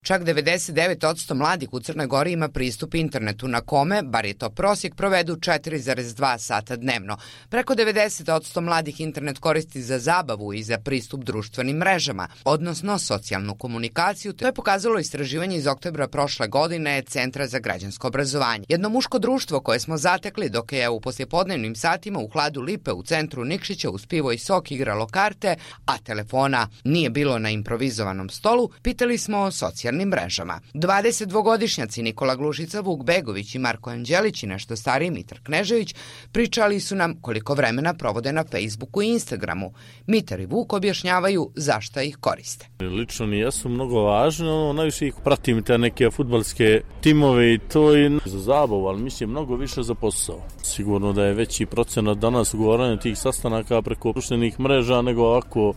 Čak 99% mladih u Crnoj Gori ima pristup internetu na kome, bar je to prosjek, provedu 4,2 sata dnevno. Preko 90% mladih internet koristi za zabavu i za pristup društvenim mrežama, odnosno socijalnu komunikaciju. To je pokazalo istraživanje iz oktobra prošle godine Centra za građansko obrazovanje. Jedno muško društvo koje smo zatekli dok je u poslijepodnevnim satima u hladu Lipe u centru Nikšića uz pivo i sok igralo karte, a telefona nije bilo na improvizovanom stolu, pitali smo o socijalnim mrežama. 22-godišnjaci Nikola Glušica, Vuk Begović i Marko Anđelić i nešto stariji Mitar Knežević pričali su nam koliko vremena provode na Facebooku i Instagramu. Mitar i Vuk objašnjavaju zašto ih koriste. Lično mi jesu mnogo važno, najviše ih pratim te neke fudbalske timove i to je za zabavu, ali mislim mnogo više za posao. Sigurno da je veći procenat danas ugovaranja tih sastanaka preko društvenih mreža nego ovako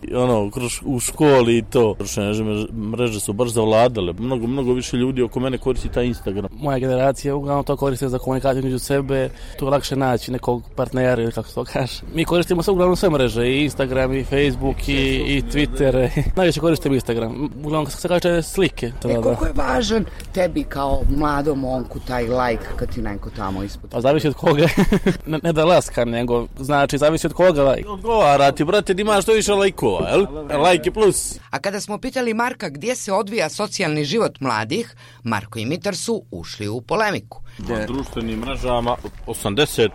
u školi i to. Društvene mreže su baš zavladale. Mnogo više ljudi oko mene koristi taj Instagram. Moja generacija uglavnom to koriste za komunikaciju među sebe. Tu je lakše naći nekog partnera ili kako se to kaže. Mi koristimo uglavnom sve mreže, i Instagram, i Facebook, i Twitter. Najviše koristim Instagram. Uglavnom se kaže slike. Koliko je važan tebi kao mladom momku taj like kad ti neko tamo ispod? Pa zavisi od koga. Ne da laska, nego znači zavisi od koga like. Odgovara ti, brate, ti imaš što više lajkova, jel? Like je plus. A kada smo pitali Marka gdje se odvija socijalni život mladih, Marko i Mitar su ušli u polemiku. Na društvenim mrežama 80%.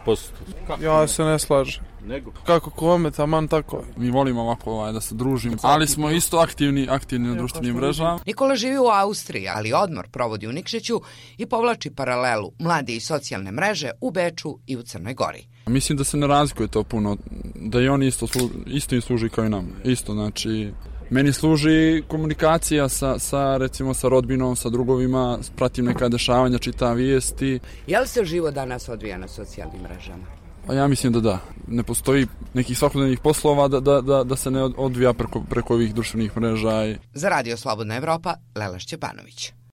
Ja se ne slažem. Nego? Kako kome, taman tako. Mi volimo ovako da se družimo, ali smo isto aktivni na društvenim mrežama. Nikola živi u Austriji, ali odmor provodi u Nikšiću i povlači paralelu mladi i socijalne mreže u Beču i u Crnoj Gori. Mislim da se ne razlikuje to puno, da i oni isto im služi kao i nam. Isto, znači, meni služi komunikacija recimo sa rodbinom, sa drugovima, pratim neka dešavanja, čitam vijesti. Je li se život danas odvija na socijalnim mrežama? Pa ja mislim da. Ne postoji nekih svakodnevnih poslova da se ne odvija preko ovih društvenih mreža. Za Radio Slobodna Evropa, Lela Šćepanović.